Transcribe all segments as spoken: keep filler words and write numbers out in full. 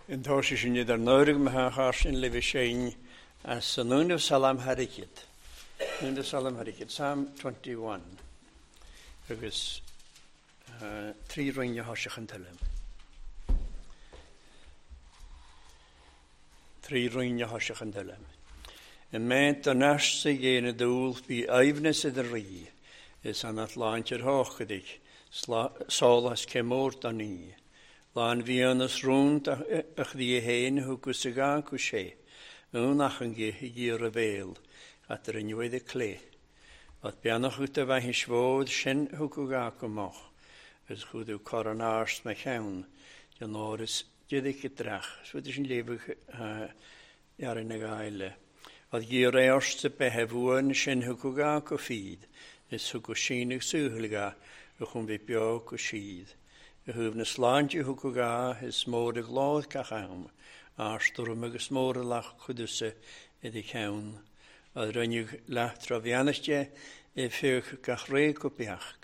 In tá sin idir nóirigh me sin le séin as san únah Salam Harikid. Núna Salam Harikid, Psalm twenty-one. Agus trí roinne thoiseach an tuile. Trí roinne thoiseach an tuile. I meint an aiste dhéana dúil bhí aimhneas idir rí, is an Atlantir thochaidh, sólas cé mór don ní. Lán bhíonas rún a chrí héin thugus a gá go sé, únach an gé i gíor a bhéal, at ar inniu a clé. At beannach út a bheith isfód sin thugu gá go moch, is chuú cor an áirst me cheann, den áras didic i drach, sfuid sin léibh ar na gaile. At gíor éirst a bethe bhuain sin thugu gá go fíd, is thugu sínig suúlga a chun bhí beo go síd. A thuh na sláinte thugu gá is mór a glád gach am, áirstúm agus mór a lach chudusa i d cheann. A rinneadh leath bheannaiste i fiuch gach ré go beach,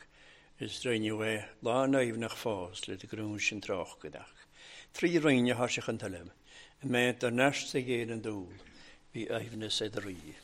is rinneadh é lá naomhnach fás le de grún sin tráchadach. Trí roinne thoiseach an tuile, i meint ar neist a ghéan an dúil, bhí aimhneas idir rí. Yeah.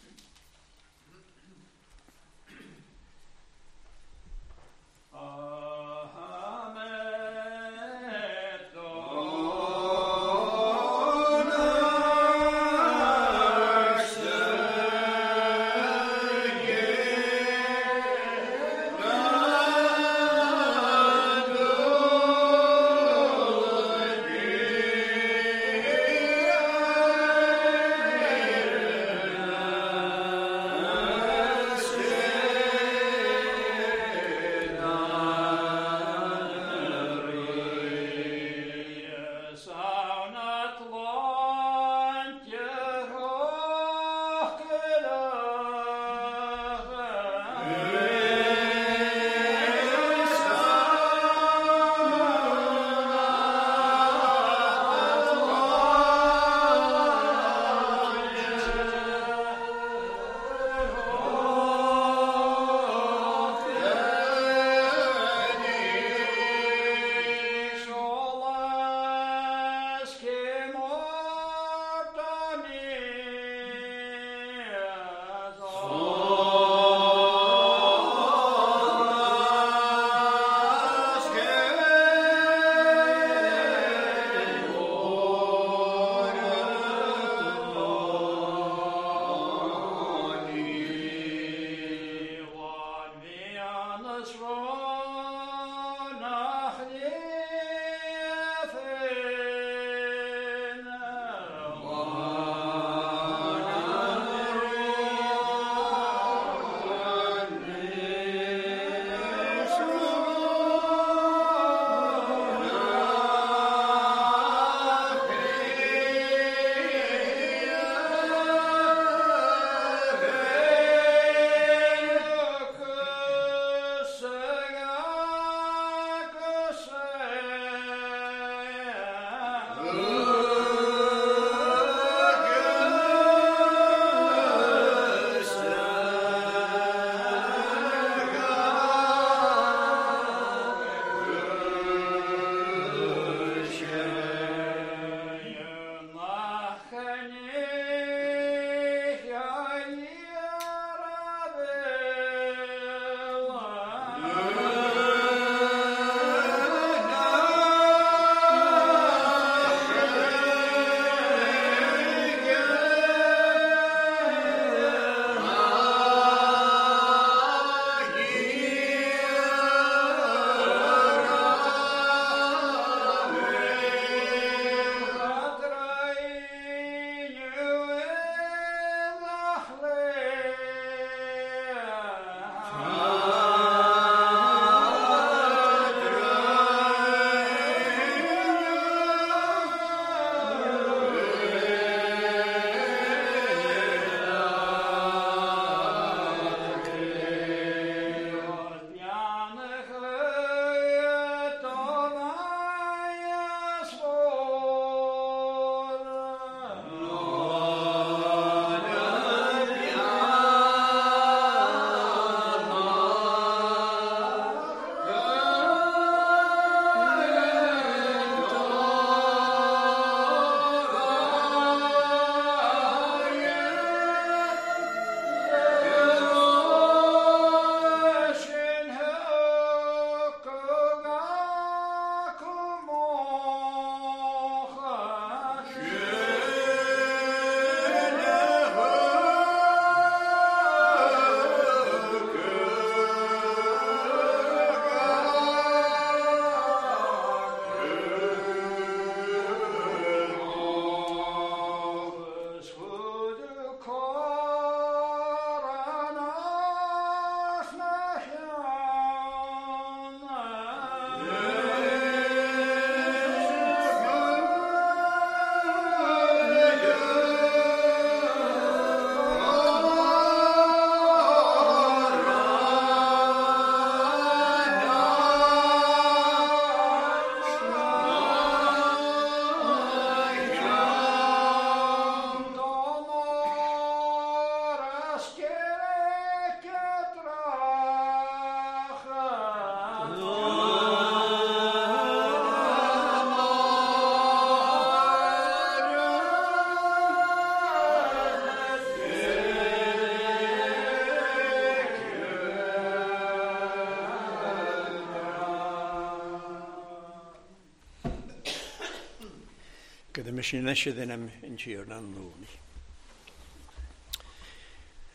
Gyda mis yn eisiau am yn tír an lúni.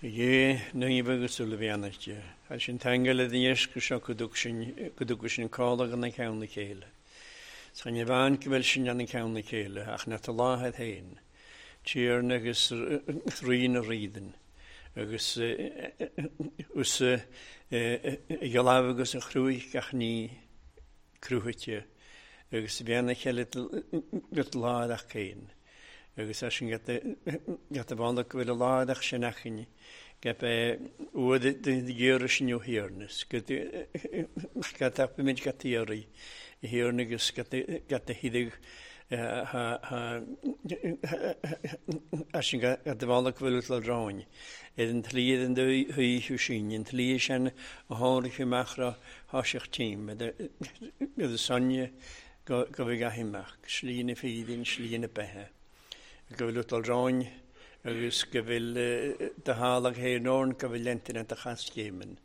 Ie, ní agus sul bhéanaiste, a sin tangal a dhéis go seo go dtug sin cála gan na ceann na chéile. Sa ní bhain go bhfuil sin an ceann na chéile ach na tá láthad féin. Tír agus rí na rídan. Agus us geláh agus a chrúich gach ní crúite agus bhéanna cheile láideach céin. Agus é sin get a bhanda go bhfuil a láideach sin achin, get é uad de ghéire sin ó hiarnas, get a mid get iarraí i hiarna agus get a hídig a sin get a bhanda go bhfuil le ráin. Iad an tlí an thuú sin, an tlí sin a tháinig amach tháiseach tím, iad a sonne go bhí gaimeach, slí na fídín, slí na bethe. Go bhfuil útal ráin agus go bhfuil de hálag héin orn go bhfuil lentin an de chascéimen.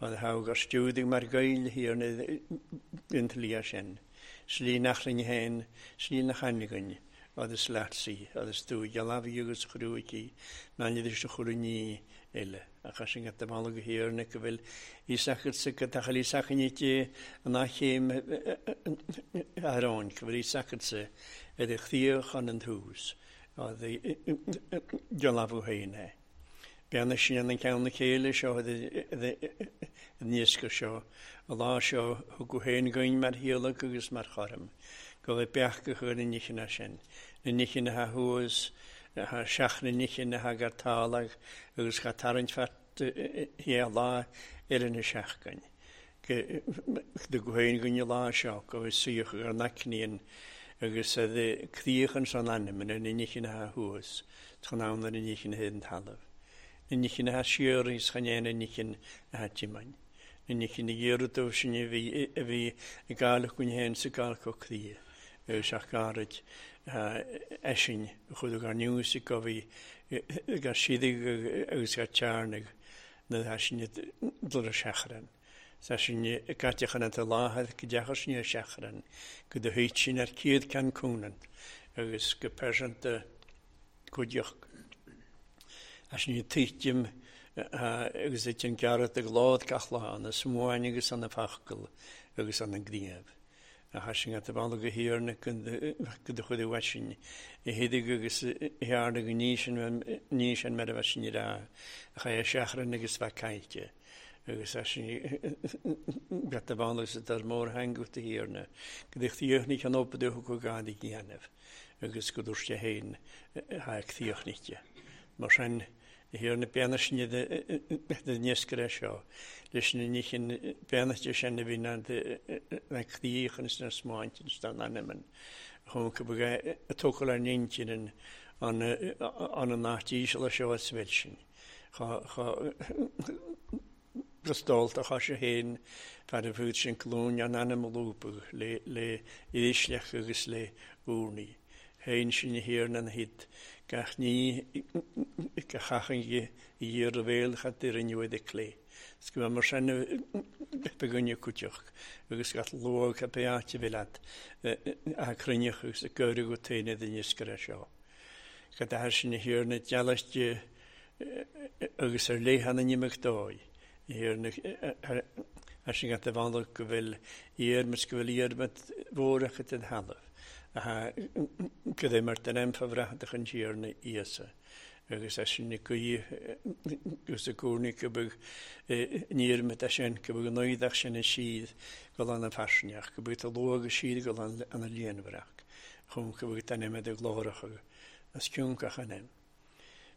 An há gur stiúdig mar gail hir an tlí sin. Slí nachlin héin, slí na chainigan, agus leatsaí, agus tú gealabhí agus chrúicí, ná idir se chuiní eile. A cha sin go bhalla go hir na go bhfuil ísachadsa go tachail ísachanite an achéim aráin, go bhfuil ísachadsa ar a chríoch an an tús, gealabhú héin é. Beanna sin an ceann na chéile seo an níosca seo, a lá seo thug go héin goin mar hialach agus mar chorm, go bhfuil beach go chur na níchena sin, na níchena ha thuas, ha seach na níchena ha gar tálag agus cha tarraingt fat hé lá ar na seachgain. De go héin goin lá seo go bhfuil suíoch ar nacníon agus a críoch an san ainm na níchena ha thuas, chan ann na níchena héin talamh. Na níchena ha siar is chan na níchen ha timain. Na níchena ghéarú sin a bhí a bhí i gála cun héin sa gála go cría. Agus ach gairid eisin chud gar nús go bhí gar sidig agus gar tearnag na há sin dul a seachran. Sa sin caiteachan an láthair go deachar sin ar seachran, go do thuit sin ar céad ceann cúnan agus go pearsanta cuideach. A sin tuitim agus é an gearrat ag lád gach lá an smuain agus an fachgal agus an gníomh. A cha sin at a bhalla go hiarna go do chuid uait sin i héidir agus hiarna go ní sin ní sin mar a bheith sin rá a cha seachran agus bheith caillte. Agus é sin get a bhalla agus ar mór hangut a hiarna. Go dtí tíochní an opa do go gád i gcéanamh agus go dúirt sé héin ha tíochníte. Mar sin hiarna beanna sin de níoscaire seo, leis na níchin beannaiste sin a bhí na críoch agus na smáint agus na n-ainm. Chun go bhfuil a tógáil ar n-intinn an an an áit íseal seo a bhfuil sin. Brostálta cha sé héin fear a bhúd sin glúin an ainm a lúpadh le le ísleach agus le úrnaí. Héin sin hiarna an hit gach ní go chachan i dhíor a bhéal chat ar an uaid clé. Is go mar sin begunne cuiteach agus gat luach a beáte bhí leat a cruinneach agus a gcuireadh go téine den níoscaire seo. Go d'athair sin hiarna dealaiste agus ar léithe na n-imeacht dóigh. Hiarna a sin gat a bhanda go bhfuil iarmas go bhfuil iarmat mhórach den thalamh. Go dé mar den aimfa bhreathdach an tíarna Íosa. Agus é sin na cuí agus a cúrnaí go bhfuil níormat é sin go bhfuil an sin a siad go lán an faisneach, go bhfuil tá luach a siad go lán an a líonmhaireach, chun go bhfuil an imead ag glórach as ciúncach an aim.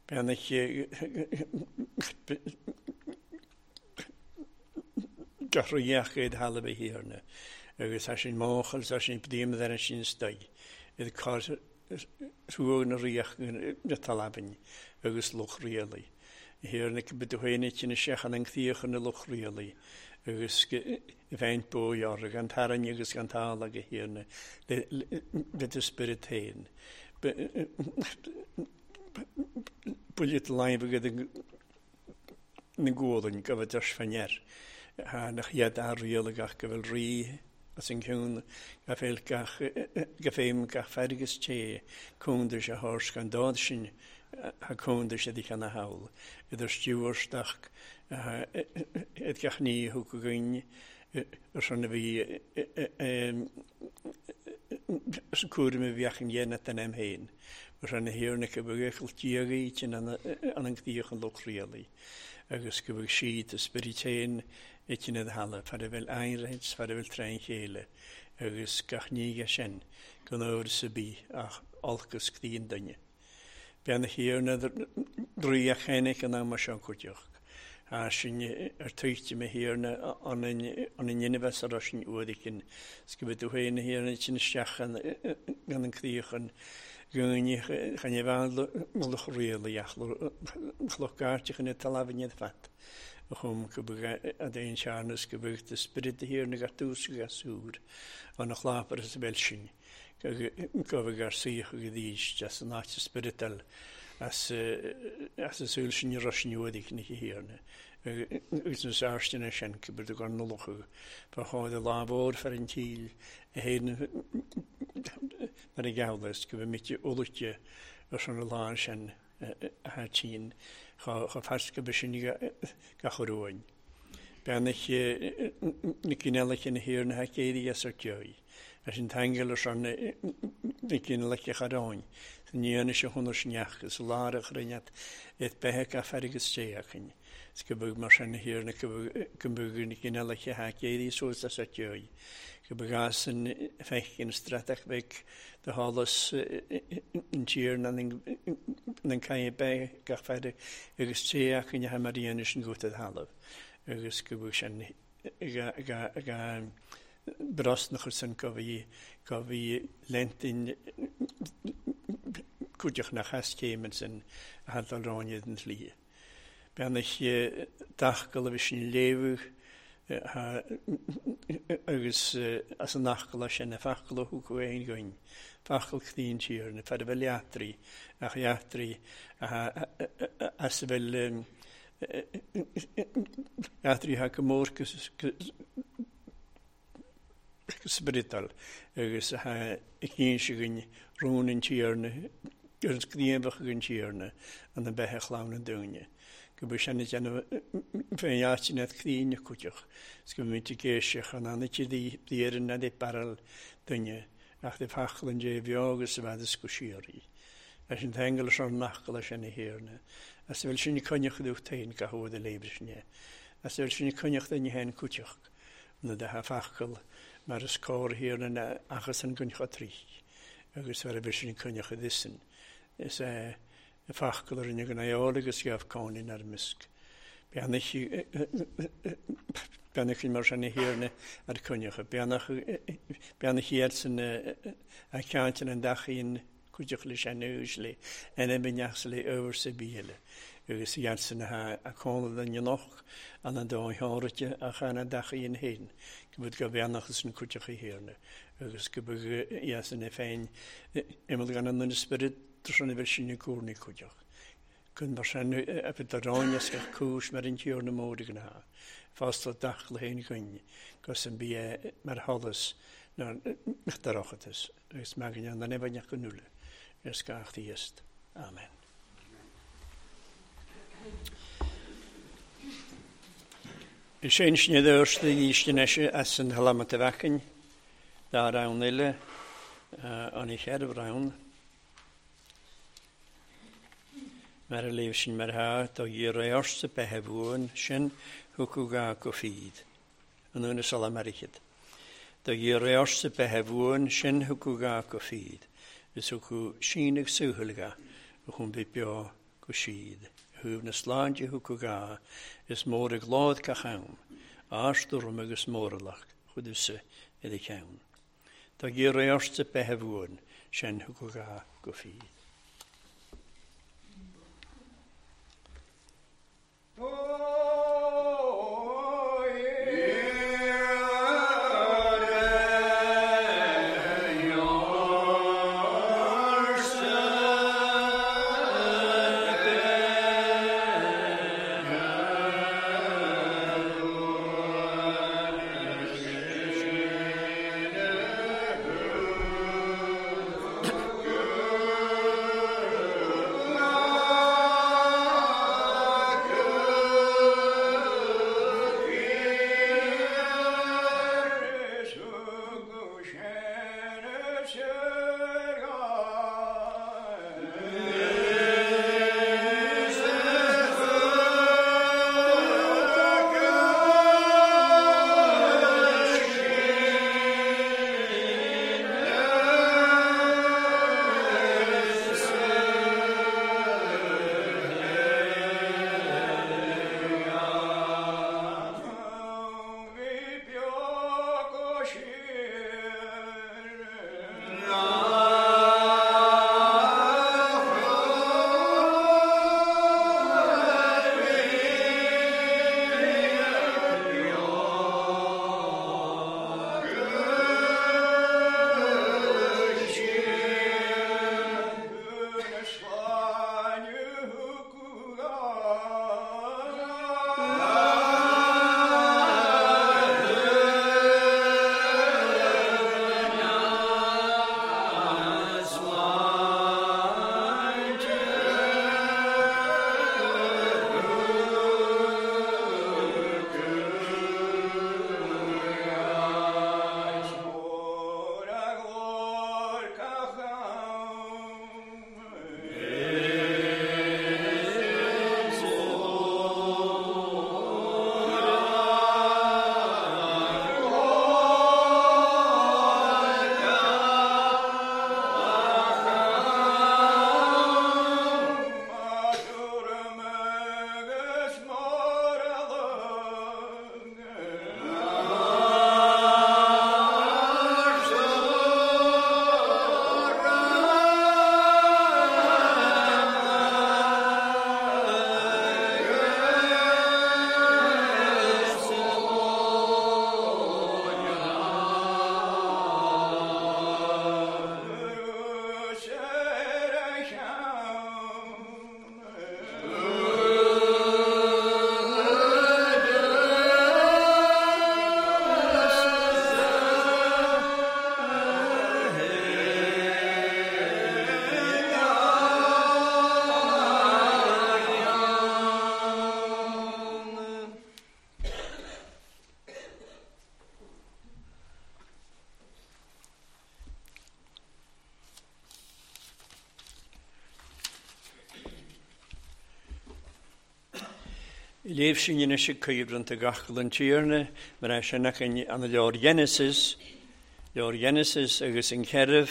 Beannach gach ruheach iad thalamh a hiarna. Agus é sin máchail, é sin bíam ar sin staid. Iad cár ruag na ríoch na talabin agus luch rialaí. Hiarna go bhfuil féin sin seachan an críoch na luch rialaí. Agus bheint bójar gan tarraing agus gan tála go hiarna le do spirit féin. Built láimh go na gólan go bhfuil deis faneir. Ha nach iad a rialagach go bhfuil rí as an ciún ga féil gach ga féim gach fergus té cúndir se hárs gan dod sin ha cúndir se di can a hawl. Idir stiúrstach ed gach ní thug go ar son a bhí cúram a bheach an dhéanamh den am féin. Mar sin na hiarna go bhfuil tíogaí sin an an gcíoch an lucht rialaí. Agus go bhfuil siad a spirit féin itin ad halla, far a bhfuil aonraid, far a bhfuil tréan chéile, agus gach níge sin gan ábhar sa bí ach olcas cdíon duine. Bean na hiarna draoi a chéanach an am seo cuideach. A sin ar tuichte me hiarna an an inbheas ar sin uaidicin, 's go bhfuil tú féin na hiarna sin isteach gan an críochan gúine chan é bhean luch rialaí ach luch gairteach in talamh iad fat. Chum go bhfuil a d'aon searnas go bhfuil de spirit hiarna gar tús go gasúr an a chlápar is bhfuil sin. Go bhfuil gar saoch go dhís as an áit spiritual as as a súil sin rusin uaidich na hiarna. Agus na sáirsteanna sin go bhfuil gar nulacha fa cháid a lámhór far an tíl a héan mar a gabhlas go bhfuil mitte ualaite ar son a lá sin a tín cha fearska be sin gach ruin. Beannach na cineálacha na hiarna ha céirí as ar ceoi. As an tangal ar son na cineálacha charáin. San dhéanamh se chunar sneach is lár a chruinneat et beithe a fergus téachan. Is go bhfuil mar sin na hiarna go bhfuil na cineálacha ha céirí suas as ar ceoi. Go bhfuil an feicin stratach bheith de hálas an tír na an caie beithe gach feire agus téachan a mar dhéanamh sin go a thalamh. Agus go bhfuil sin ga brosnachar sin go bhí go bhí lentin cuideach nach hascéimen sin a hadal ráine den slí. Beannach dachgal a bhí sin léamh agus as an nachgal sin na fachgal a thug aon goin. Fachgal cníon tír na fear a bhfuil eachtraí ach eachtraí as a bhfuil eachtraí ha go mór spiritual agus ha cíon se goin rún an tír agus gníomhach an tír an na beithe chlann an dúine. Go bhfuil sin déanamh féin áit net críon cuideach. 's go bhfuil géiseach an anna dí na dé barrel duine ach de fachal an dé bheo agus a bheith is go siaraí. Leis an tangal ar nachgal sin na hiarna. As bhfuil sin coinneach dúch tain go thód a léibh sin. As bhfuil sin coinneach duine héin cuideach na de ha fachal mar is cóir hiarna na achas an guncha trí. Agus bhfuil bhfuil sin coinneach disin. Is é fachgal ar inne gan eol agus ghabh cóin ar misc. Beannach beannach mar sin na hiarna ar coinneach. Beannach beannach iad san a ceantain an dachíon cuideach leis an uisle an ebinneach le over sa bíle. Agus iad san a cóna den noch an an dá háirte a chan an dachíon héin. Go bhfuil go beannach san cuideach hiarna. Agus go bhfuil iad san na féin imeall gan an spirit sin a bhfuil sin cúrnaí cuideach. Cun mar sin a bhfuil a ráine gach cúis mar an tír na mór gan ha. Fásta dach le haon goin gus an bí mar halas ná darachtas agus magan an nehaneach go nula ar gach íost. Amen. Is sin sin dúirsta ístinese as an halamata bhacain dá rann eile an i cheirh rann. Mar a léamh sin mar ha tá dhíréirsa beithe bhuain sin thugadh ga go fíd. An úna sala marichid. Tá dhíréirsa beithe bhuain sin thugadh ga go fíd. Is thugadh síneadh suathailge a chum bith beo go siad. Thuibh na sláinte thugadh ga is mór ag lád gach am. Árstorm agus móralach chudusa i do cheann. Tá dhíréirsa beithe bhuain sin thugadh ga go fíd. Oh! Léamh sin anois ag cuibhreann gach an Tiarna, mar é sin ach an leabhar Genesis, leabhar Genesis agus an ceithre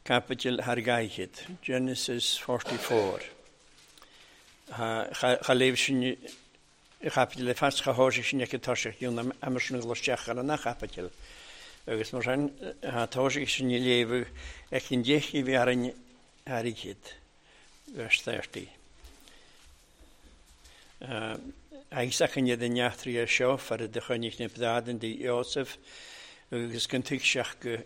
caibidil thar gaichead, Genesis forty-four. Cha léamh sin chaibidil le fas cha thoisigh sin ag toiseach dún amar sin gluaisteach ar an chaibidil. Agus mar sin ha toisigh sin léamh ag an deich i bhí ar airgead, verse thirty. Agus an iad an neachtraí seo far de choinnigh na brádan di Iosef agus gan tuigseach go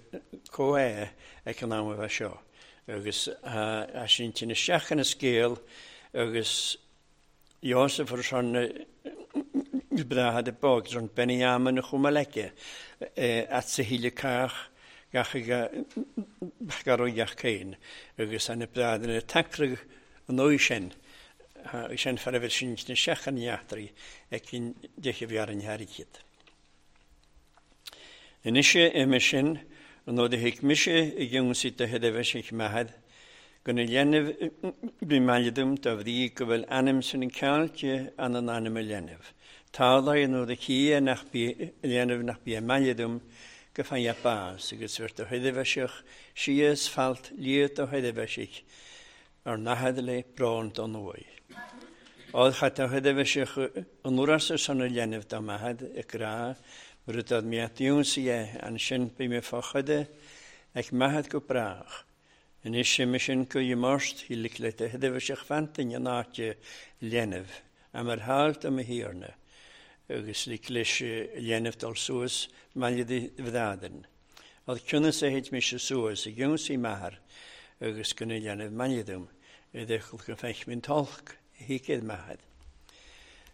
comh ag an am a bheith seo. Agus a sin tin isteach ina scéal agus Iosef ar son bráthad y bog, son Benjamin y chwmalecau at sa híle cach gach garoiach céin agus an y brádan y tacrag an o'i sin. Sin far a bheith sin na seachan neachtraí ag cinn deich a bhí ar an hairicid. Anois ime sin, an nod a thuig mise i gceann de thuirbheis maithead, go na léanamh bhí mailidum dá bhrí go bhfuil ainm san an ceáilte an an ainm a léanamh. Tála an nod a cia nach bí léanamh nach bí mailidum go faighe bás agus bheirt do thuirbheiseach síos falt liat do thuirbheiseach ar nahad le brón don uaidh. Ád chat a thuirbheiseach an uras ar son a léanamh dá maithead i grá, mar dad mé dúnsaí an sin bí mé fáchade ag maithead go brách. Anois sin sin go dhémarst hi le le thuirbheiseach fantain an áite léanamh, a mar háilt am a thiarna, agus le leis léanamh dul suas maille de bhrádan. Ad cunnas a héit mise suas i gúnsaí maithir agus go na léanamh mailidum, i dechal go feich min tolc hícéad maithead.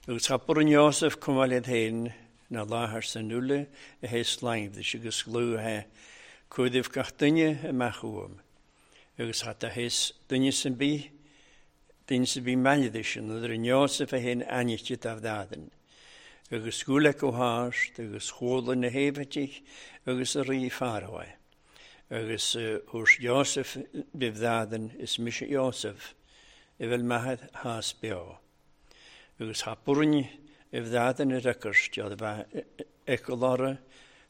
Agus chapur an Iosef cumáil féin na láthair san nula a hé sláimh agus glúthe cuidimh gach duine amach uaim. Agus chat a héas duine san bí, duine san bí mailidis an idir an Iosef a héin ainite dá bhrádan. Agus gúla go háist agus chóla na héimhitich agus a rí Fáraó. Agus thuairs Iosef bhibhrádan is mise Iosef i bhfuil maithead hás beo. Agus cha burn i bhrádan i recurs dead bheith ecolára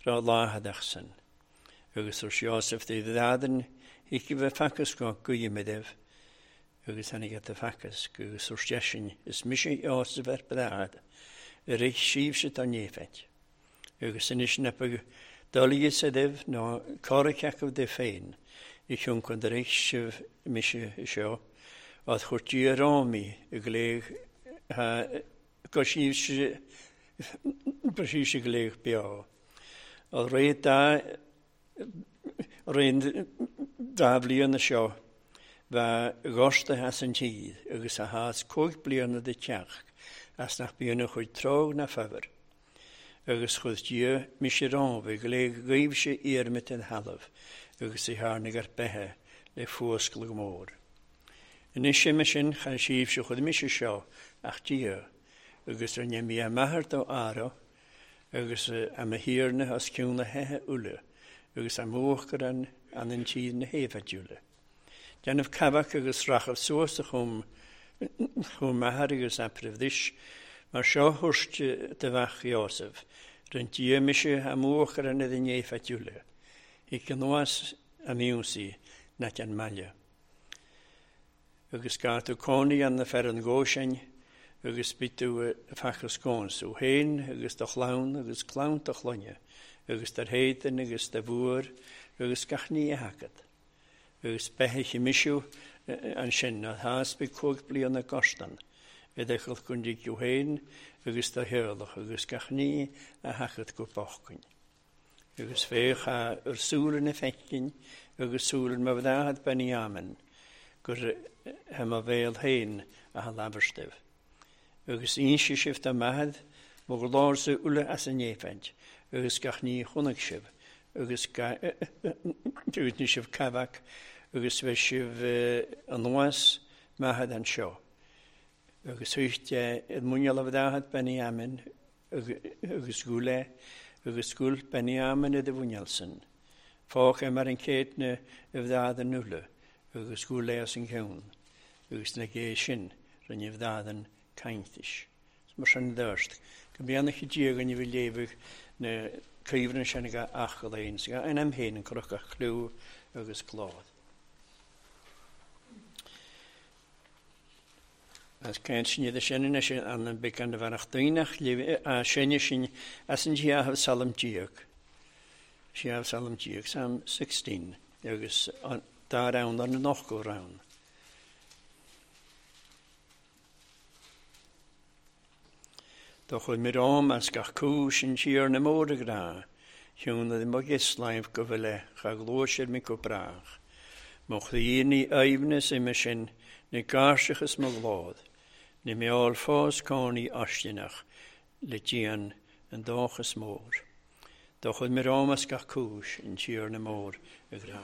ra láthadach san. Agus thuairs Iosef de bhrádan hic i bheith facas go guimideibh agus tháinig at a facas agus thuairs deisin is mise Iosef ar brád i rith síbhse tá néfeit. Agus anois na dulíos a dibh ná córaceacha de féin i chun chun de rith sibh mise seo ad chuir Dia rámaí i gléig go síbhse go síbhse gléig beo. Ad ré dá réon dá bhliana seo bheith gosta as an tíd agus a hás cúig bliana de teach as nach bíonn a chuid tróg na fabhar. Agus chuid Dia mise rámh i gléig gaibhse iarmit an thalamh agus i tháinig ar beithe le fuascal go mór. Anois ime sin chan síbhse chuid mise seo ach Dia agus ar mí a maithir dó ára agus a ma thiarna as ciún na heithe uile agus a mhuachar an an an tíd na héifeadúla. Déanamh cabach agus rachadh suas a chum chum maithir agus apraimh mar seo thuairt de bheach Iosef, rinne Dia mise a mhuachar an idir néifeadúla. Hic an nuas a miúnsaí nat an maille. Agus gá tú cónaí an na fer an gósin agus bí tú fachas cóns ó héin agus do chlann agus clann do chloinne agus dar héidan agus do bhuair agus gach ní a hacad. Agus beithe misiú an sin na hás bí cúig bliana gostan, i dechal chun dí ó héin agus do héalach agus gach ní a hacad go bochcain. Agus féach a ar súla na fecin agus súla ma bhráthad Benjamin gur he ma bhéal héin a ha labharstibh. Agus inse sibh dá maithead mo go lársa uile as an néifeint agus gach ní chonaic sibh agus ní sibh cabach agus bheith sibh anuas maithead an seo. Agus thuicht i muineál a bhráthad Benjamin agus gúla agus gúil Benjamin i de bhuineál san. Fách é mar an céadna i bhráthad an uile agus gúla as an ceann agus na gé sin rinne bhrádan caintis. mar sin dúirt, go mbeannaithe Dia againn a bhí léamh na cuimhne sin ag achall aon, sa in am féin an cruach a chlú agus glód. As caint sin iad sin anois an an big an bheannach daoineach sinne sin as an Siáh Salm Díog. Siáh Salm Díog, Psalm sixteen, agus dá rann ar na nochtó rann. Do chuir mé rám as gach cúis an tír na mór a ghrá, Chiúna i mo ghislaimh go bhfuil cha gluais mi go brách. Mo chroí ní aoibhneas ime sin, na gáirseachas mo ghlód, na meall fós cónaí aisteanach le dian an dóchas mór. Do chuir mé rám as gach cúis an tír na mór a ghrá.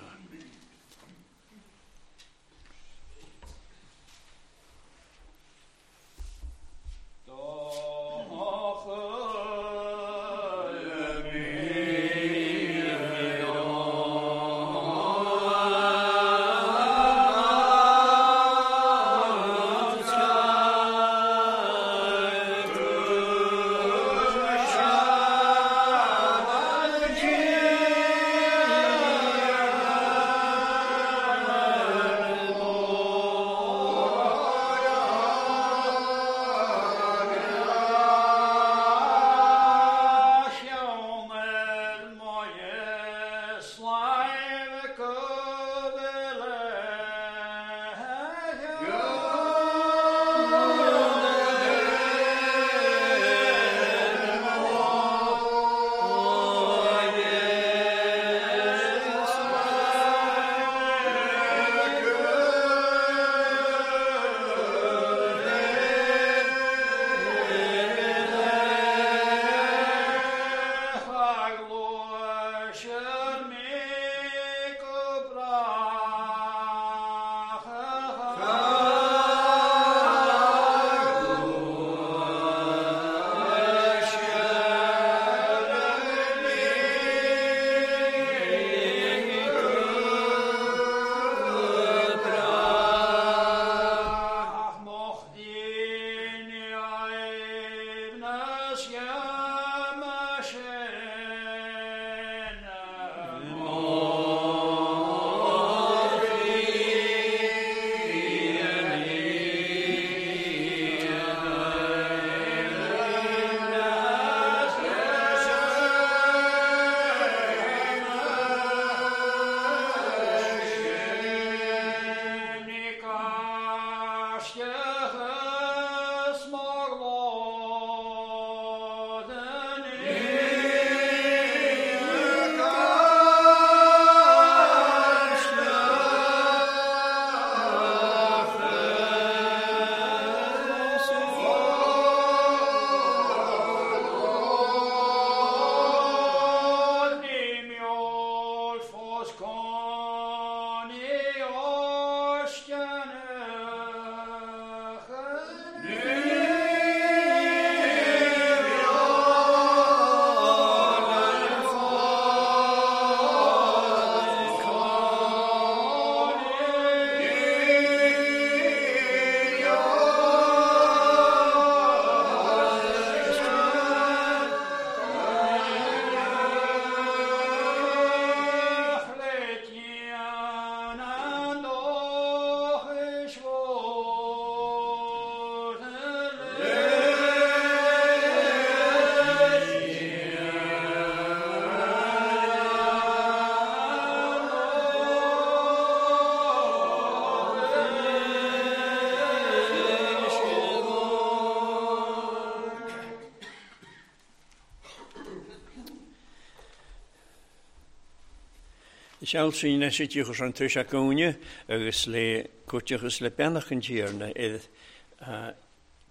Seal sin na sé tíochas an tuis a cóine agus le cuateachas le beannach an tíarna iad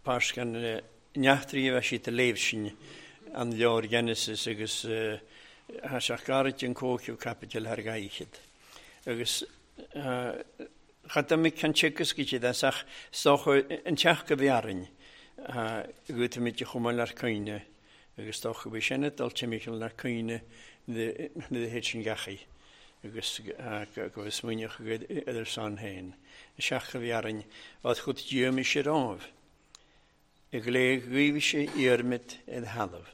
páiscan neachtarí a bheith siad a léamh sin an leabhar Genesis agus tá sé gairid an cóiceamh caipiteal thar gaichiad. Agus chad mé can teachas go siad as ach stocha an teach go bhearrainn go muid chomh maith lear cuimhne agus stocha bhí sin dul timpeall lear cuimhne na héid sin gachaí. Agus go bhfuil smaoineach idir san féin. Seach a bhí arainn, áit chud díom is sé rámh. I gléig ghaibh sé iarmid id thalamh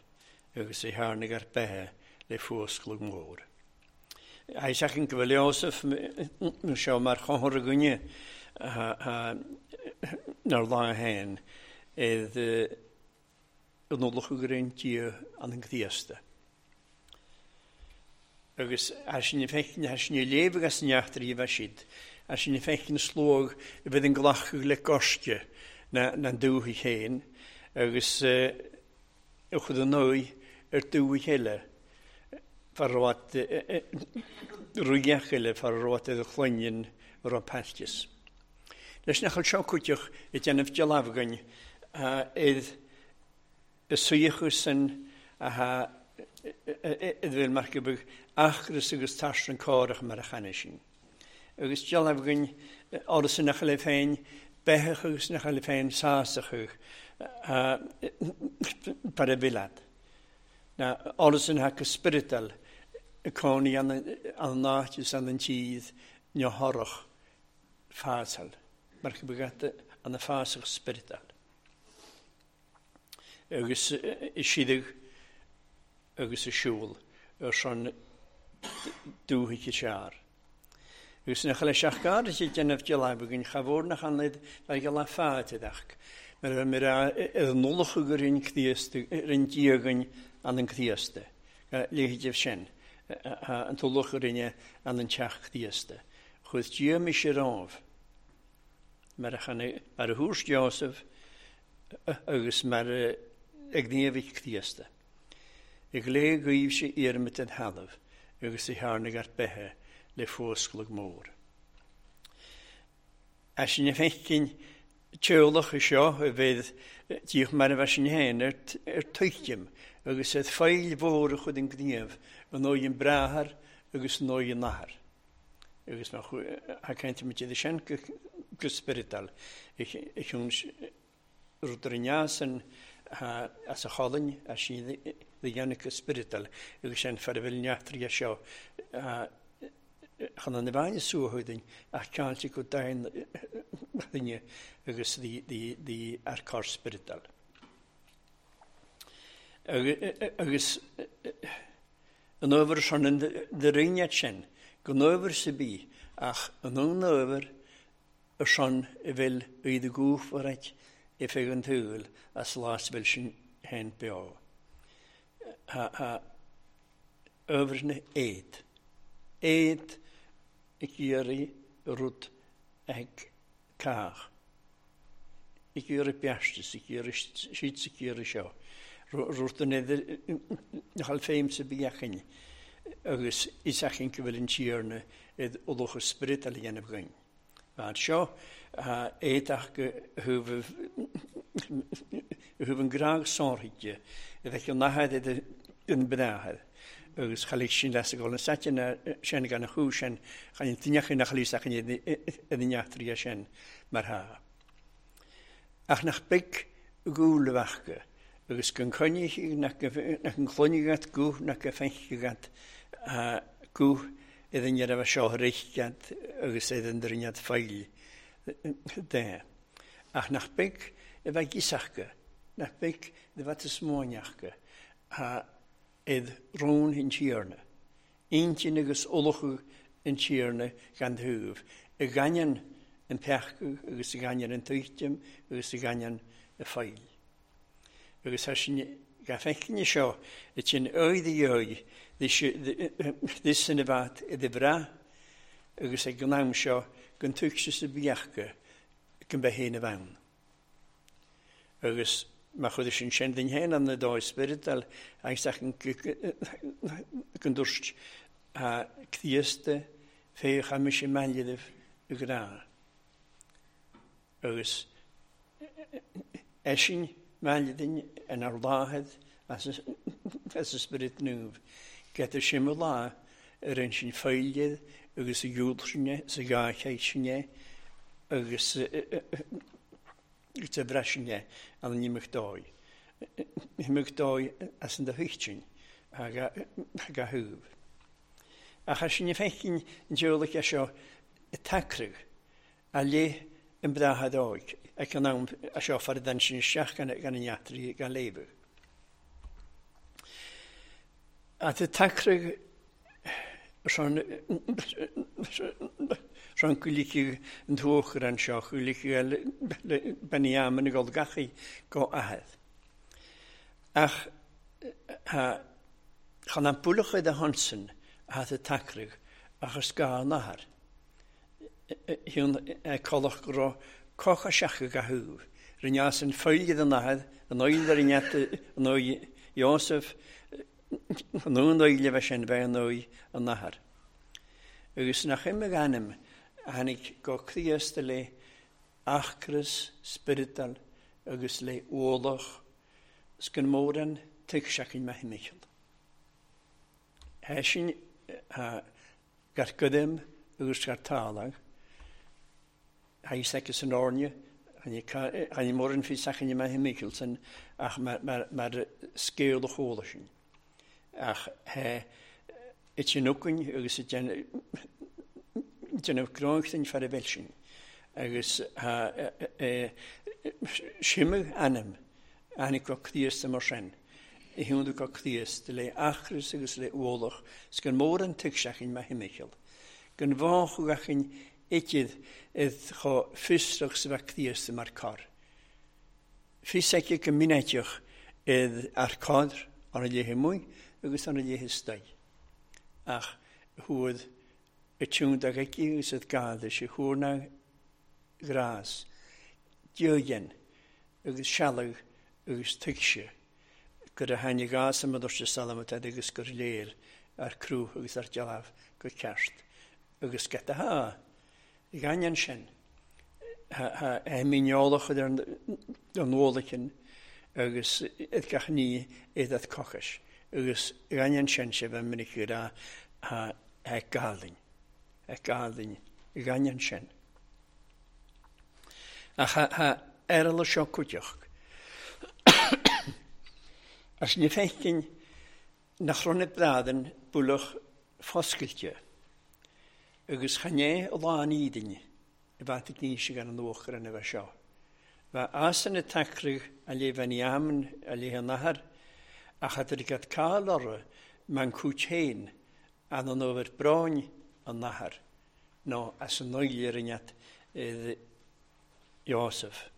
agus é tháinig ar beithe le fuascladh mór. Seachan go bhfuil Iósaf seo mar chonthar againne nár lá féin iad an ullach gur aon Dia an an Chríosta. Agus sin feicin sin léamh agus neachtar i bheith siad, sin feicin slóg a bheith an glacadh le gaisce na na dúthaigh féin agus a chud an nóigh ar dúthaigh eile far raibh ruigeach eile far raibh ar chloigninn raibh pailtis. Leis nach seo cuiteach i déanamh dealbh againn iad y suíochas sin a bhfuil mar go beag achras agus taisreann cárach mar a channa sin. Agus dealbh againn áras nach le féin beitheach agus nach le féin sásach par a bhilad. Na áras an haca spiritual y cónaí an an náit is an an tíad neothorach fásal. Mar go beag an fásach spiritual. Agus i siadach agus y siúl ar son dúthaigh i sear. Agus nach le seach gar is déanamh dealbh againn chabhór nach an le go le fáideach. Mar a bheith ar an ullach gur an Críosta ar an Dia againn an an Críosta. Léithidibh sin an t-ullach a rinne an an teach Críosta. Chuir Dia mise romhaibh mar a mar a thuairt Iósaf agus mar a ag gníomhaigh Críosta. I glé ghaibh sé iarmid den thalamh agus i tháinig ar beithe le fuascladh mór. A sin a feicin teolach i seo a bheith díoch mar a bheith sin féin ar, ar tuigim agus ed feil mhór a chud an gníomh an nóigh an bráthair agus an nóigh an nathair. Agus nach a caint iad sin go, go spiritual. Ich, ich rud ar an neasan as a cholainn a sin dhéanamh go spiritual agus sin far a bhfuil neachtraí seo chun an bhaine suathúdain ach ceáilte go dain duine agus dí ar cár spiritual. Agus an ábhar sin an de rinnead sin, go n-ábhar sa bí, ach an ón ábhar ar son a bhfuil iad a gúfar i feadh an tsaoil as lá bhfuil sin féin beo. Ha ábhar na éad. Éad ag iarraidh rud ag cách. Ag iarraidh beastas, ag iarraidh siad ag iarraidh seo. Rud an idir nach féim sa bheachan agus is achan go bhfuil an Tiarna id ullach spirit a dhéanamh againn. Mar seo éadach go thubh an grág sárthaide a bheith an nathair idir an bráthair. Agus chalig sin leis go an satin sin gan a chú sin chan an duine nach lís achan iad an neachtraí sin mar tha. Ach nach beag gúil bheachga agus gan coinnigh nach an chloigne guth nach go feicthe guth iad an raibh seo richtad agus iad an drinnead feil de. Ach nach beag a bheith gisachga, nach beag a bheith smóineachga, iad rón an Tiarna. Intinn agus ullachadh an Tiarna gan thuibh, i gaineann an peaca agus i gaineann an tuitim agus i gaineann y feil. Agus tá sin ga feicne seo i sin oid i oid this sin a bheith i bhra agus ag an am seo gan tuigse sa bheachga gan bheith féin a bhean. Agus má chuid sin sin den héin an na dóigh spiritual agus ach an gan dúirt a Críosta féach a mis i meilidibh i grá. Agus eisin meilidin yn ar láthad as as y spirit nŵf. Gyda sim y lá yr ein sin ffeiliad agus y iwd sinne, sa gachaid sinne agus y bresinne an an imach dói. Imach dói as an da thuichtsin ag a hwf. Ach as sin y feicin yn diolach seo y tacrwg a le An bhreathair óig ag an am a seo far den sin isteach gan an eachtraí gan léamh. At y tacrag rhan rhan gwyllicu yn thwch yr ansio, gwyllicu Beniam yn y golgachu go ahadd. Ach, chan am bwlwch oedd y honson a y tacrag achos ga an ahar. Hiwn colach gro coch a seach ga hwf. Rinne yn ffeilgydd yn ahadd, yn oed ar iniat yn oed Joseph, yn oed oed fe sin fe yn oed yn ahar. Agus nach im ag ainm tháinig go Críost le achras spiritual agus le ualach sgan móran tuigseachin me himichel. Hé sin gar gudem agus gar tálag, há secus an orne, Hani móran fi sachin me himichelson ach mar mar mar scéal chóla sin. Ach he it sin ucain agus it déanamh gráinchtain far a bhil sin. Agus simmeadh ainm aithne go Críost mar sin. I hiúnú go Críost le achras agus le ualach 's gan móran tuigseachin me himichel. Gan bháchugachin iad id cho fiosrach sa bheith Críost mar car. Fios aici go minéiteach id ar cádr ar a léithe muigh agus ar a léithe staid. Ach thuad y tiwn dag aici agus id gada sé thuair grás, diogen agus sealadh agus tuigse gur a tháinig gás am dúirt salamat agus gur léir ar crú agus ar dealbh go ceart agus geta ha. I gainnean sin ha míneolach ar an ualachan agus id gach ní iad at cochais agus i gainnean sin sé bheith minic rá ha gálainn gálainn i gainnean sin. Ach ha erla seo cuideach. As ní feicin nach ronna bradan buach foscailte agus chané lán ídine i bheit ag níos gan an uachar an a bheith seo. Bha asan y tacrag a le bheith ní aman a le an ahar ach a drigad cael orra man cwt hen an an ofer bráin an ahar no as an oilir iniat idd Joseph.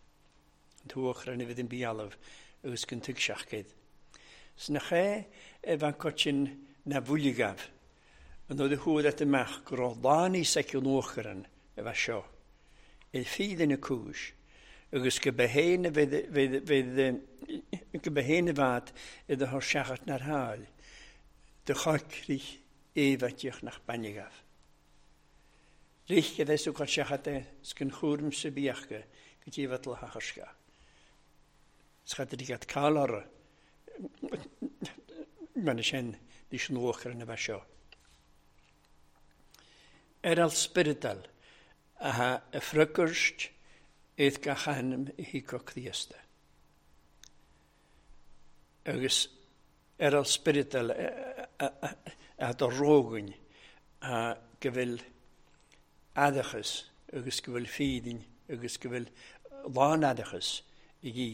An tuachar an i fydd yn bialaf agus gan tuigseach gyd. Sna ché e fan cotsin na bhúligaf an oedd y hwyd at y mach gur o láni seciwn uachar e fa seo. Il ffydd yn y cwys agus go behéin fydd go behéin y fad iddo hor siachat na'r hael dy chocrich efatiach nach banigaf. Rich gyda sw cael siachat e sgyn chwrm sy biachga gyda fod lachasga. Sgad ydi gad cael ar man sin dís an uachar yn y fa seo. Er al spiritual a ha y ffrygwrst idd gach ainm i hico Críosta. Agus er al spiritual a do rógain a go bhfuil adachas agus go bhfuil fídin agus go bhfuil lán adachas i gí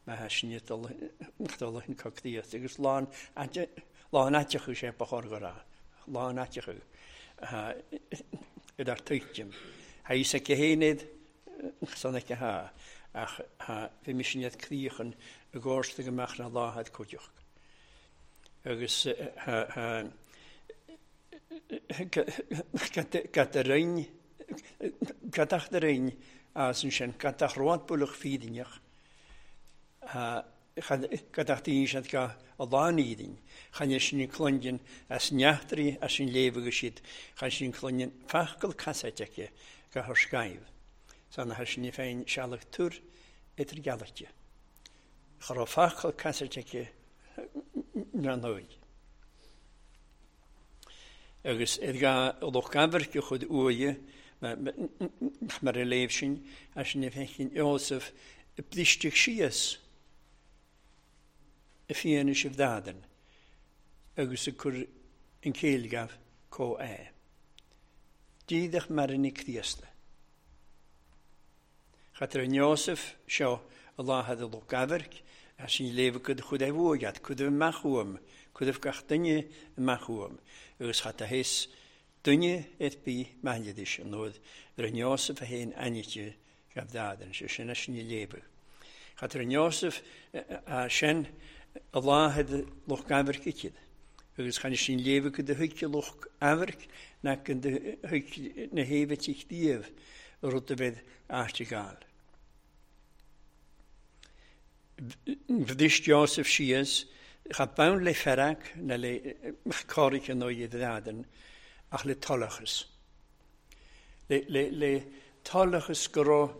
ma ha sin dul hin co Críosta agus lán lán aiteachú sé ba chóir go rá lán aiteachú iad ar tuigim. Ha is aici héinéad san aici ha ach ha bhí mis sin iad críochan i gcósta go mbeadh na láthad cuideach. Agus ha gat a roinn gatach de roinn as an sin gatach road buach fídinneach gatach daoine siad ga a lán ídin. Chan sin clungean as neachtraí as sin léamh agus siad chan sin clungean fachgal casáit aici ga thar scaimh. San a sin féin sealach túr idir gealaite. Cha raibh fachgal casáit aici na nóid. Agus id ga loch gaimhirce chud uaidhe mar a léamh sin as sin féin Joseph blisteach síos y fianna sibh dadan agus y cur yn céilgaf có é. Dídach mar yn i Críosta. Chatar an Iosef seo a láthad a lucht amhairc, a sin léamh go chud é bhuaighead, cud amach uaim, cud gach duine amach uaim, agus chat a théis duine ar bith maithlidis an nuair ar an Iosef a haon ainite gabh dádan, sé sin a sin léamh. Chatar an Iosef a sin a láthad lucht amhairc icid, agus chan sin léamh go do thuigte lucht amhairc na go do thuig na héimh teach díobh rud a bheith áiteagáil. Bhdist Iosef síos, cha bonn le fearg na le cáirice nó iad dádan, ach le tollachas. Le, le, le tollachas go raibh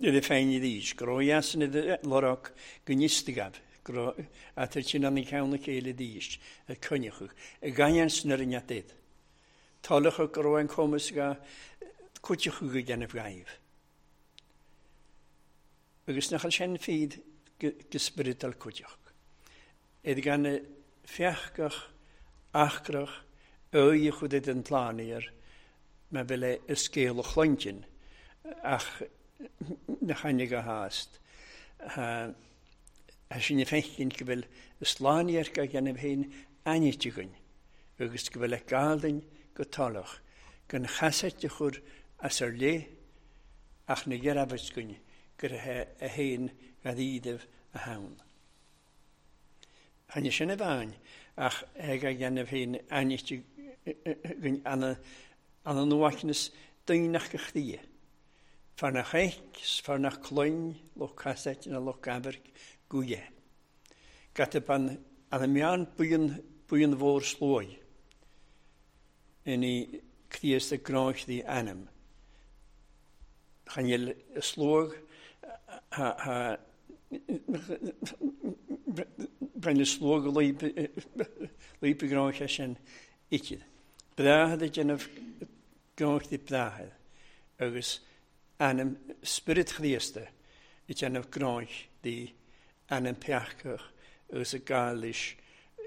iad féin dís, go raibh jasan iad lorach go níostigab, go raibh atar sin an ceann na chéile dís, a coinneachadh, a gaian san ar an iad. Tollachas go raibh an cumas ga cuiteachadh go dhéanamh gaibh. Agus nach sin fíd go spioradal cuiteach. Iad gan feachgach, achrach, oie chud iad an tláníar, ma bhfuil é i scéal a chlointin, ach na chaine go hást. A sin i feichcinn go bhfuil y sláníar go dhéanamh féin ainiteagainn, agus go bhfuil ag gáildainn go talach, gan chasait a chur as ar lé, ach na ghearabhascuinn gur a haon gad ídimh a haon. Tháinig sin a bhain, ach ag a dhéanamh féin ainite anna anna nuachnas daoineach go chdia. Far nach éic, far nach cloinn, loch casait na loch gabairc gúie. Gata ban anna meán buíon buíon mhór slói. Inni Críost a gráinchtaí ainm. Chanil slóg ha brenn slóg líp gráinche sin icid. Breáthad a déanamh gráinchtaí breáthad agus ainm Spirit Chríosta i déanamh gráinchtaí ainm peachach agus a gáilis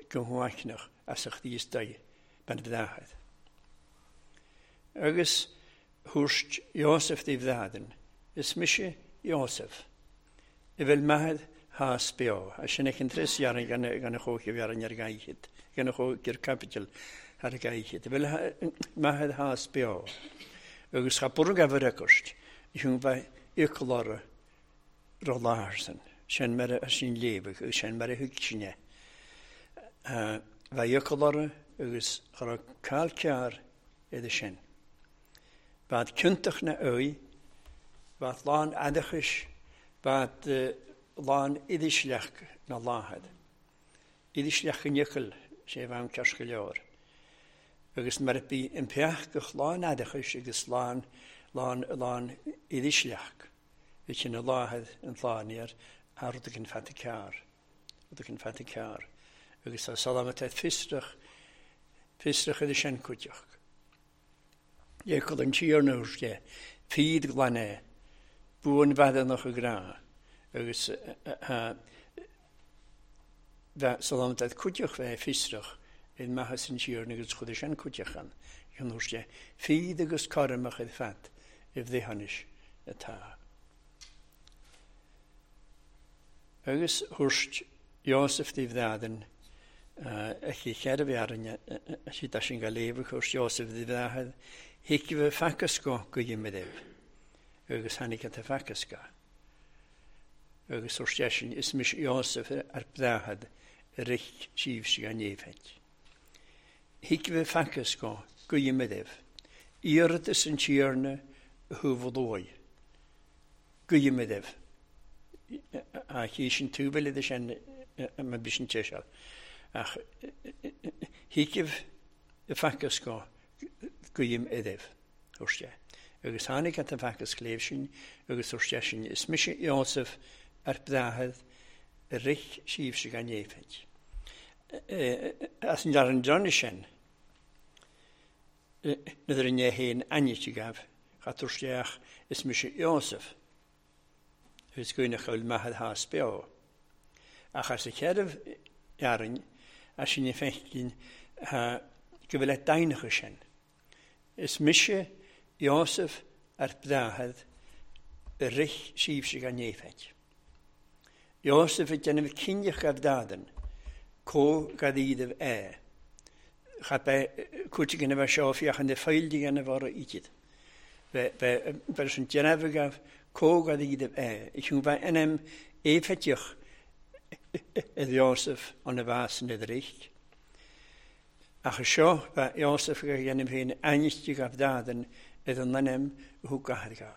go huaicneach as a Chríostaí ben breáthad. Agus thuairt Iosef díobh bhreadan, is mise Iosef. I bhfuil maithead hás beo, a sin ag an tris dhearna gan gan a chócha bhearna ar gaichid, gan a chócha capital ar gaichid. I bhfuil maithead hás beo. Agus cha burg a bhur agust, i thung bheith iocalára ro láharsan, sin mar a sin léamh, agus sin mar a thug sinne. Bheith iocalára agus cha raibh cail cearr idir sin. Bad cuntach na oí, bad lán adachais, bad lán idisleach na láthad. Idisleach an iocail sé bhean cears go leor. Agus mar a bí an peachgach lán adachais agus lán, lán, lán idisleach. Bhí sin na láthad an tláníar a rud an fata cearr. Rud an fata cearr. Agus tá salamat fiosrach, fiosrach idir sin cuiteach. Iecol an tíorna de, fíd glan é, buan bheadánach a grá, agus salamat at cuiteach bheith fiosrach in maitheas an tíorna agus chud sin cuiteach an. An de, fíd agus carmach id fat i bhdéthanis atá. Agus thuairt Iosef díobh bhreadan, a chi cheithre bhearna siad sin go léamh thuairt Iosef díobh bhreathad, Hicibh facasco go dhéanamh agus tháinig an facasca. Agus thuairt sin is mis Iosef ar breathad a rich síobh sí an éifeid. Hicibh facasco go dhéanamh, iarratas an tíorna a thuabh go dhéanamh. A chi sin túbal idir sin ma bhí sin teiseal. Ach hicibh facasco go idimh, thuairt sé. Agus tháinig an facas léamh sin agus thuairt sé sin is mise Iosef ar breathad a rich síobh sí gan éifeid. As an dar an dronne sin, nuair a né haon ainite gabh, cha thuairt sé ach is mise Iosef. Agus gúineach bhfuil maithead hás beo. Ach as a cheithre dhearna, as sin i feichcinn go bhfuil daoineacha sin. Is mise Iosef ar bhdathad y rich sifsig gan neifet. Iosef y dynaf cynnych a bhdadan, co gadíadh é. Cha be cúti gynna fe seo fiach yn y ffaildi gynna fawr idydd. Fe fe sy'n dynaf gaf co gadíadh é. Ych fe enem eifetiach ydd Iosef ond y fas yn ydrych. Ach y seo fe Iosef gynna fe'n anistig af dadan ydd yn lenem hw gahadga.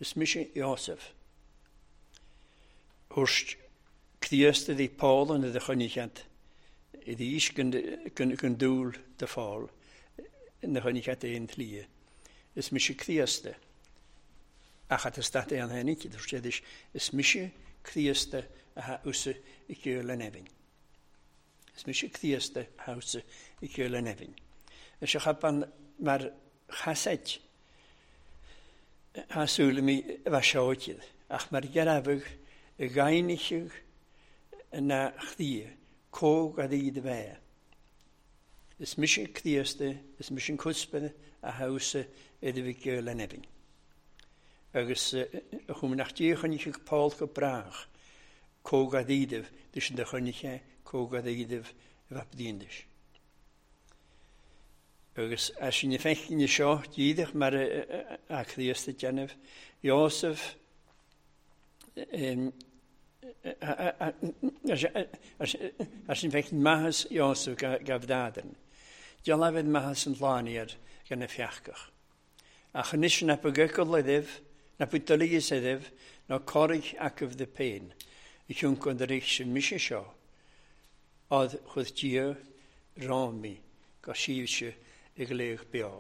Is mise Iosef. Hwrst Críost ydi Paul yn y chynnichiad. Ydi is gyn dŵl dy ffôl yn y chynnichiad ein tlia. Is mise Críost. Ach at ystat e'n hen i. Hwrst is mise Críost a ha wsa i gyl yn efin. Is mise Críost a ha wsa i gyl yn efin. Ys ych aban mae'r chased ha sŵl mi fasiogydd. Ach mae'r gerafyg y gainichig na chdi, cog a ddyd fe. Is mise Críost, is mise cwsbyn a hawsa iddo fi gyl yn efin. Agus chwm nach di chynnig Paul go brach, cog a ddydif, dys yn dychynnig e, cog a ddydif fapdíndis. Agus as yn effechin i sio, dydych mae'r a Críost y genef, Iosef, as yn fechin mahas Iosef gafdadan. Diolafedd mahas yn laniad gan y fiachgach. Ach yn ys na bygygol iddyf, na bwydolygys iddyf, na corig ac yf dy pen. I ciwnc ond yr eich sy'n misio sio, oedd chwydd dia romi go sifsio i gleich bio.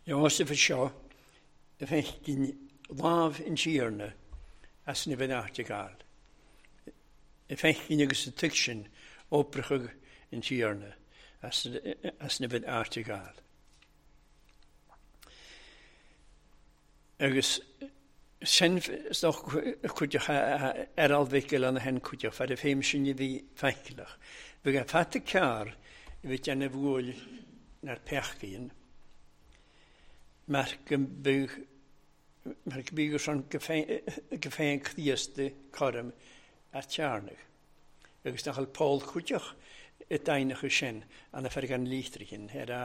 Iosef y sio, y fechgyn laf yn siarna as ni fydd art i gael. Y fechgyn agos y tygsyn obrachag yn siarna as, as ni fydd art i gael. Agus sen stoch cwydioch er alfigel an hen cwydioch, fad y ffeim sy'n i fi ffaiclach. Fy ga ffat y car i fi dyn y fwyl na'r pechgyn, mae'r gymbyg mae'r gymbyg o'r gyffein Críost corm ar tiarnach. Agus nach al Paul cwydioch y dainach y sin an y fferg an lichtrichin, er a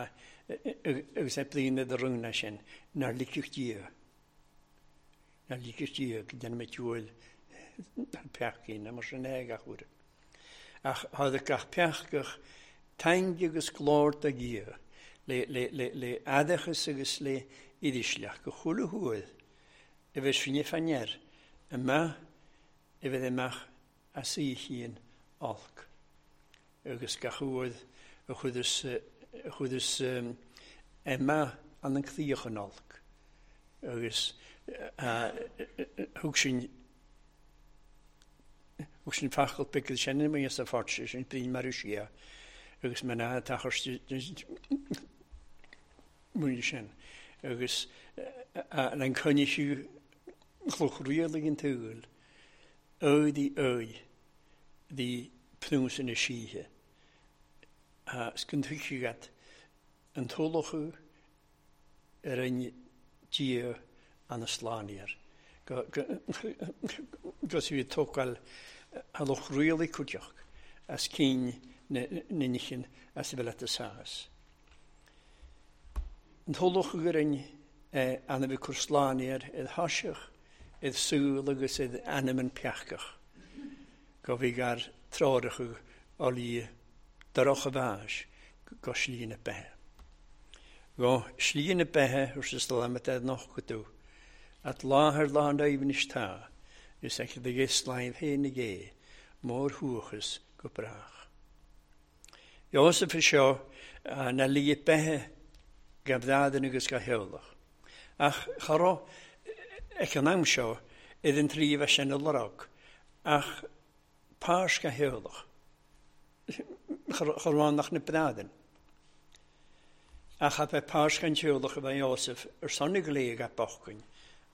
agus e blin y rwngna sin, na'r liciwch dia. Na liciwch dia, gyda'n met jwyl na'r pechgyn, a mor sy'n eg ach wr. Ach, hoedd gach pechgach tangi agus glor da gia, le, le, le, le adachas agus le iddislach, go chwle hwydd, y fe sy'n ffanyer, yma, y fe ddemach as i hun olc. Agus gach hwydd, y chwydys, y chwydys um, yma an yn clwych yn olc. Agus hwg sy'n hwg sy'n ffachol bygydd sy'n yn mynd y ffordd sy'n blin marwsia. Agus mae'n a tachos mwyn sy'n. Agus a'n cynnig yw chlwch rialig yn tygl, oed i oed di pnws yn y sîhe. A sgyntychiad yn tolwch yr ein dia an y slanier. Gos i fi togal halwch rialig cwdioch as cyn ninichin as y fel at y sas. Yn tolwch yr ein an y fi cwrslanier edd hasiach, edd sŵl agus edd anam yn piachgach. Go fi gar trorach o li daroch y fas go slín y behe. Go slín y behe wrth yslamad edd noch gydw. At láthair lá an aibhnis tá, is ag y gyslaif hen y ge, mór hwchus go brach. Iosef y sio na li y behe gafdadyn agus gaheolach. Ach charo ech an am sio iddyn trif allan y lorog, ach pars gaheolach. Charo nach na bradyn. Ach a be pars gan heolach y fe Iosef yr son y gleg a bochgyn,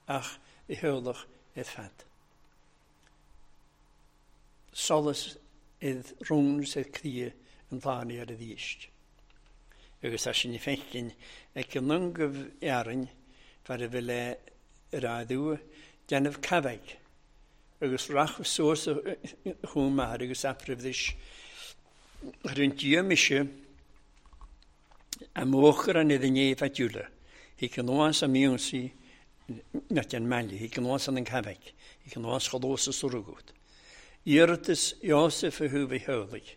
ach i heolach edd ffad. Solus id rún sa cria an tláni ar a dhíist. Agus tá sin fecin ag an nungah earainn far a bhfuil ar adú déanamh cabhaigh agus rachadh suas chun maith agus apribhdis ar an dia mise a móchar an idir né fatiúla. Hic an nuas a miúnsaí net an meile, hic an nuas an an cabhaigh, hic an nuas cholós a surgut. Iarratas Iosef a thú bhí heolaigh,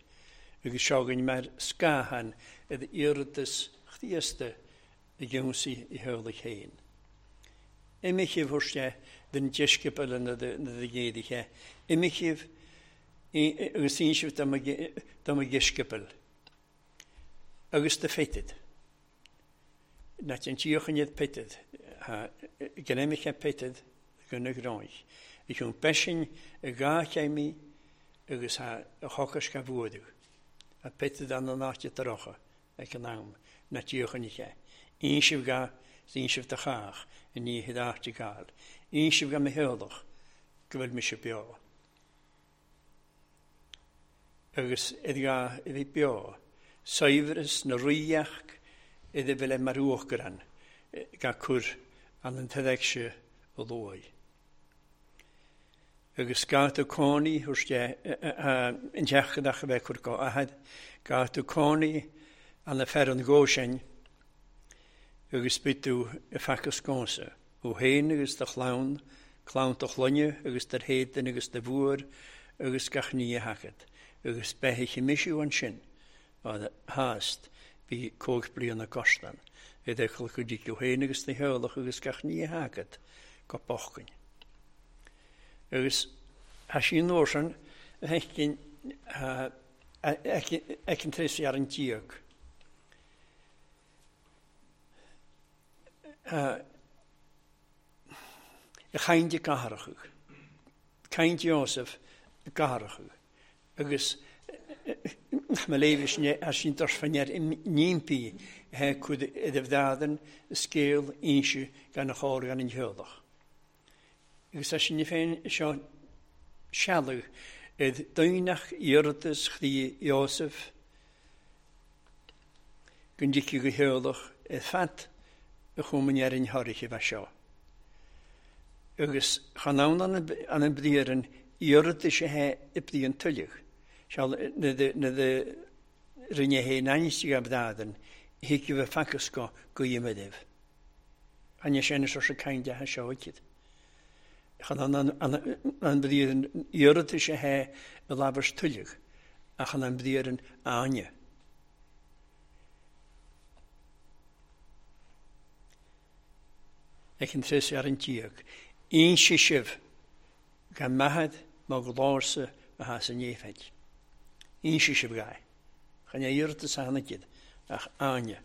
agus seogann mar scáthan idir iarratas chríosta i gceansaí i heolaigh féin. Imichibh thuirste den deisceabail na na géadaithe, imichibh agus insibh dá mo dheisceabail agus do Pheter. Na an tíochan iad Peter, gnéimiche Peter gona gráich. I chun beisin i gá chéimí agus a chocas ga bhuadú. A Peter an an áite tarocha ag an am na tíochan ihe. Insibh ga insibh do chách i ní hid áite gáil. Insibh ga me heolach go bhfuil mise beo. Agus id ga i bhí beo. Saibhreas na ríoch idir bhfuil mar uachgaran ga cur an an tedegse o luaigh. Agus gá tú cónaí thuirste an teachadach a bheith cur go ahad, gá tú cónaí an na fer an gó sin agus bit tú i facas cónsa. Ó héin agus do chlann, clann do chloinne agus do héadan agus do bhuair agus gach ní a hacad. Agus beithí misiú ansin a hást bhí cóig bliana costan. Idir chul go dtí go héin agus na heolach agus gach ní a hacad go bochcain. Agus ha sin nósan hecin ecin tres ar an tíog. Y chaint i gaharachug. Caint Iosef gaharachug. Agus ma lévis ar sin dorsfannear nímpi he cud idir bhdadan scéal inse gan a chóir gan an heolach. Agus sin féin seo sealadh id daoineach iarratas chrí Iosef gon dtici go heolach i fat a chumann ar an tháirige bheith seo. Agus chan ann an an bliain iarratas a he i bliain tuilleach. Seal na na rinne hé nainistí a bhdadan hic bheith facas go go dhéanamh. An sin is se caint de seo iad. Chan an an bliain iarratas a he i labhairt tuilleach ach an an bliain áine. Ag an tres ar an tíog. Inse sibh gan maithead má glórsa a has an éifeid. Inse sibh gai. Chan iarratas a tháinig iad ach áine.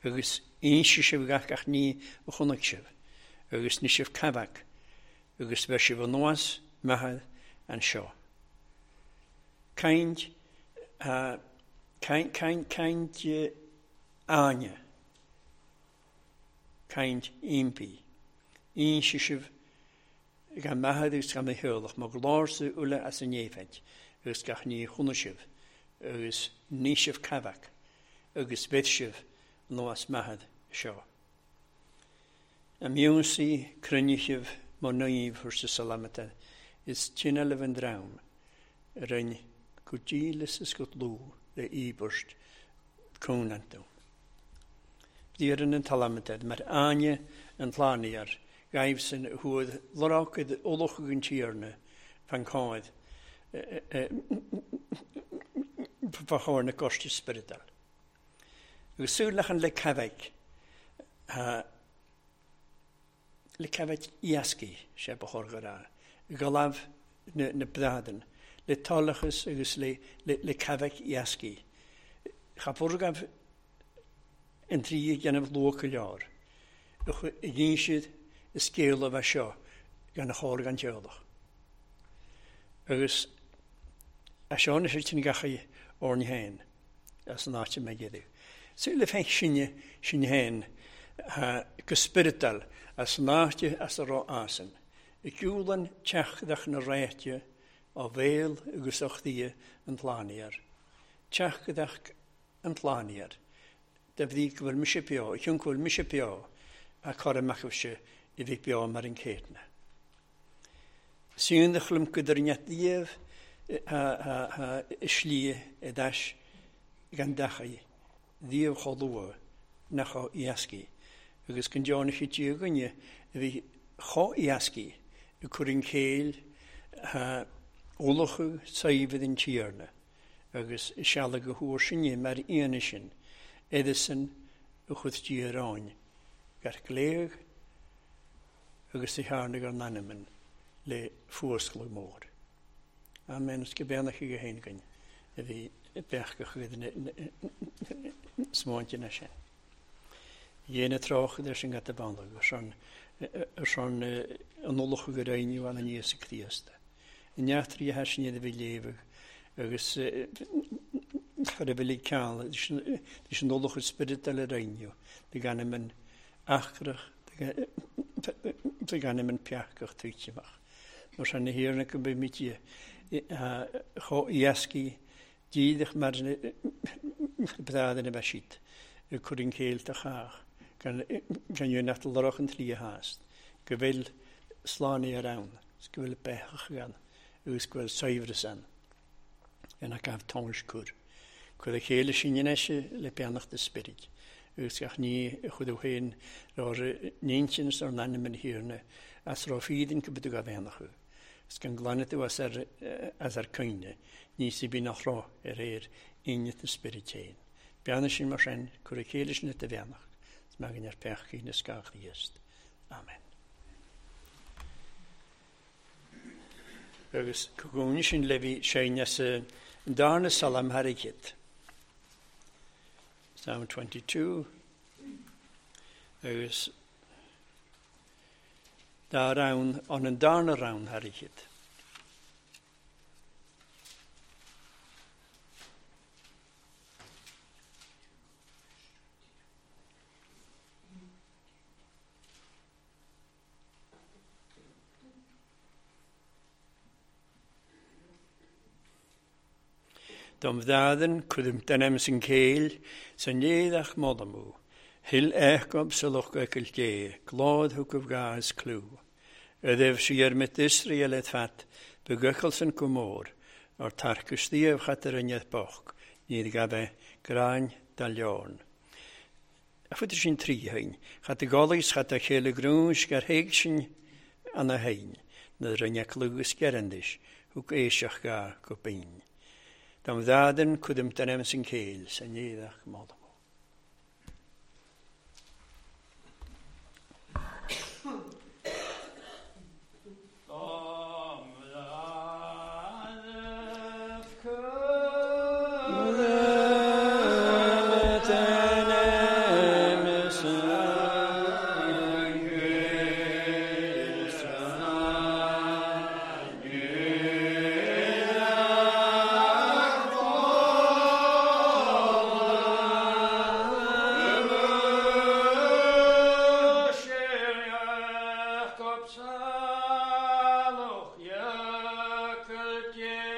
Agus inse sibh gach gach ní a chonaic sibh. Agus ní sibh cabhac. Agus bheith sibh anuas maithead an seo. Caint caint caint caint áine. Caint impí. Inse sibh gan maithead agus gan na heolach má glórsa uile as an éifeid agus gach ní chonaic sibh agus ní sibh cabhac agus bheith sibh anuas maithead seo. A miúnsaí cruinne má naomh thuirse salamata is tine le an dream a rinne go dílis is go dlúth le íobairt cónantú. Bhíorann an talamata mar áine an tlánaíar gaibhsan thuad loracad olachadh an tíorna fan cáid fa chóir na coiste spioradal. Agus súil lech an le cabhaigh le cabhaigh iascaí sé ba chóir go raibh. Galamh na, na bradan, le tálachas agus le, le, le cabhaigh iascaí. Cha bhurgabh an trí dhéanamh luach go leor. I gcinn siad i scéal a bheith seo gan a chóir gan teolach. Agus a seo na sé sin gachaí orni héin as an áit me géadú. Súil le féin sinne sin héin go spioradal as an áite as a rá asan. I gcúlan teachdach na réite á bhéal agus ó chdia an tlánaíar. Teach go an tlánaíar. De bhí go bhfuil mise beo, cion go bhfuil mise beo, a chur amach se i bhí beo mar an céadna. Sín de chlum go net díobh slí i dais gan dachai, díobh cholúa nach ó iascaí, agus go dearna sé tí againne a bhí chó iascaí i cur an chéil ólacha saibhid an tíarna, agus i seala go thuair sinne mar aoine sin, Edison a chud tíaráin, gar gléag agus i tharna ar nanaman le fuascladh mór. Amen, is go beannach go haon againn a bhí beach go chuid smáinte na sin. Dhéana tráth leis an gata banda ar son an ullach go réiniú an Íosa Críosta. I neachtraí a thaisní a bhí léamh agus chur a bhí ceann leis an ullach spirit eile réiniú de gan an achrach de gan an peachach tuitimach. Mar sin na hiarna go bhí mí chó iascaí díadach mar bhrádan a bheith siad i cur an chéil a chách gan nach lorach an trí hást, go bhfuil slánaí ar ann, go bhfuil beach gan agus go bhfuil saibhreas ann, gan nach gabh tónais cur. Cuir a chéile sin ineise le beannacht de spirid, agus gach ní a chud ó féin ar níonsin ar nainm an thiarna as raibh fídin go bhfuil go bheannachu. Is gan glanadh tú as ar, as ar coinne, ní si bí nach rá ar éir innet na spirid féin. Beanna sin mar sin, cur a chéile sin de bheannacht, is magan ar peachcaí na scáth Chríost. Amen. Agus cogúin sin le bhí séin as an darna salam haricit. Psalm twenty-two. Agus dá rann an an darna rann haricit. Dom bhdadan cudum denam sin céil san léadach modamú, Hil echob sa loch eicil dé, glód thucamh gás clú. Ydyf si er mit Israel et fat, beguchel san cwmór, ar tarcus díobh chat ar ynedd boch, níd gabe gráin da leorn. A fuair sin trí hain, chat y golys chat a chéile grúns gar héig sin an a hain, na rinne clúgus gerandis, hwg eisiach ga go bín. Dam ddadan cwdym denam sy'n céil, sy'n iddach modam. Yeah.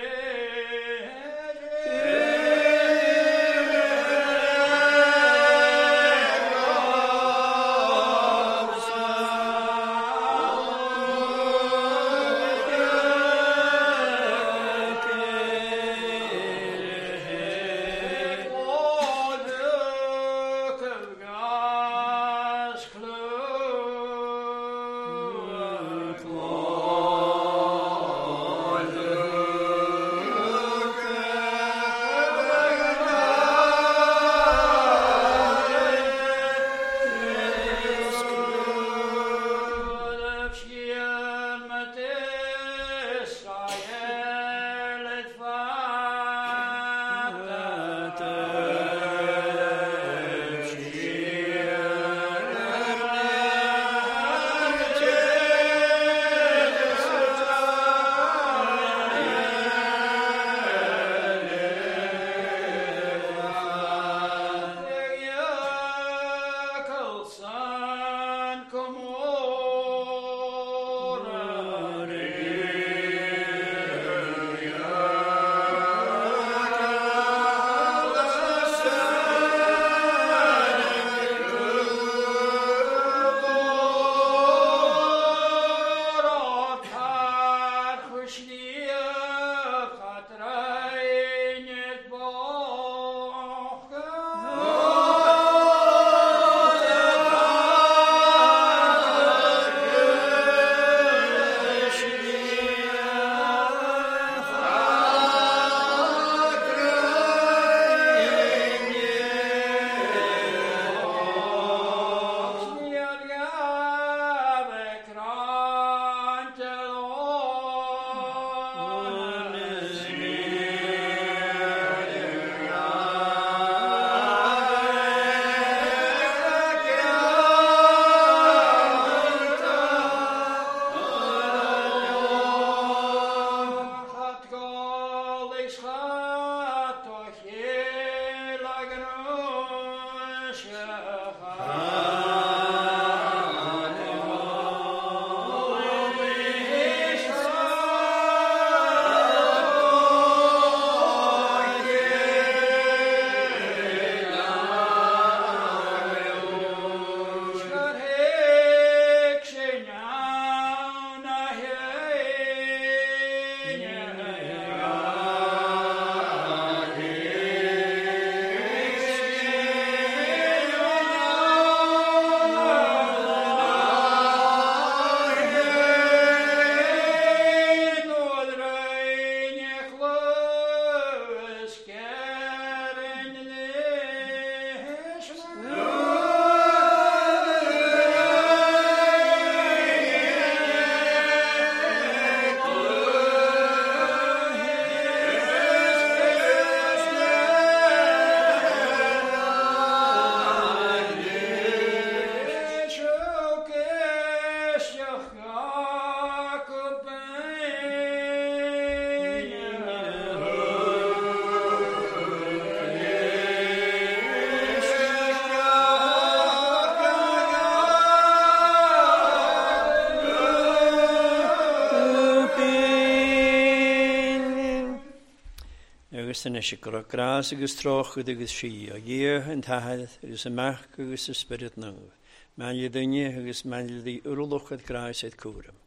Agus anois go raibh grás agus trócaire agus sí, ó Dhia an tAthair agus an Mac agus an Spiorad Naomh, Maille duine agus maille di urluchad grás ed cúram,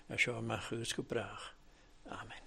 a seo amach agus go brách. Amen.